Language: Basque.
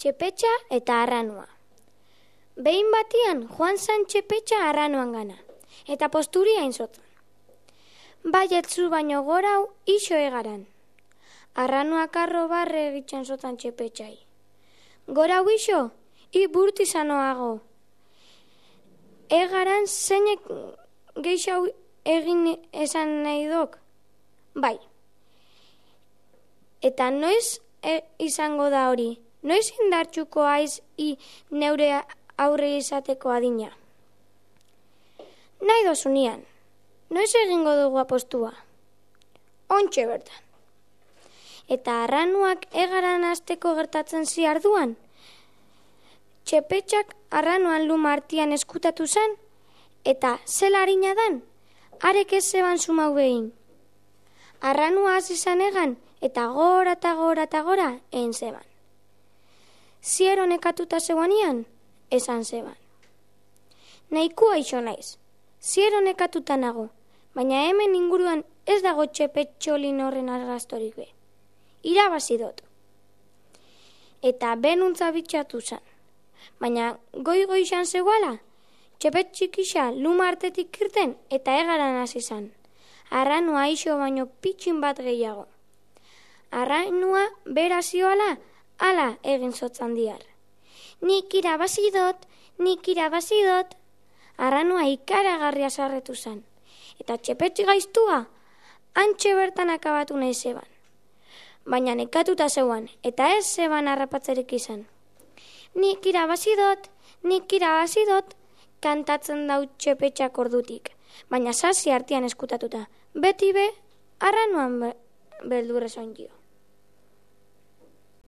Txepetxa eta arranua. Behin batian joan zan txepetxa arranuan gana, eta posturia inzotan. Baietzu baino gorau iso egaran. Arranuak arro barre egitxan zotan txepetxai. Gorau iso, burtizanoago. Egaran zeinek geixau egin esan nahi dok? Bai. Eta noiz izango da hori? Noiz indartxuko aiz neure aurre izateko adina? Nahi dozunian, noiz egingo dugu apostua? Ontxe bertan. Eta arranuak egaran hasteko gertatzen ziarduan? Txepetxak arranuan luma artian eskutatu zen, eta zela harina dan, arek ez zeban sumau behin. Arranua hasi zan egan, eta gora eta gora eta gora egin zeban. Ziero nekatuta zeuanian, esan zeban. Nahikua iso naiz, ziero nekatuta nago, baina hemen inguruan ez dago txepetxolin horren argaztorik be. Irabazi dut. Eta benuntza bitxatu zan. Baina goi izan zegoala, txepetxikisa luma artetik irten eta egaran hasi zan. Arranua iso baino pitxin bat gehiago. Arranua bera zioala, ala egin zotzan diar. Nik irabazi dut. Arranua ikaragarria sarretu zan. Eta txepetxi gaiztua, antxe bertan akabatu nahi zeban. Baina nekatuta zeuan, eta ez zeban harrapatzerik izan. Nik irabazi dut, kantatzen dau txepetxak ordutik. Baina sasi artean eskutatuta, beti be, arranuan beldurrez ondio.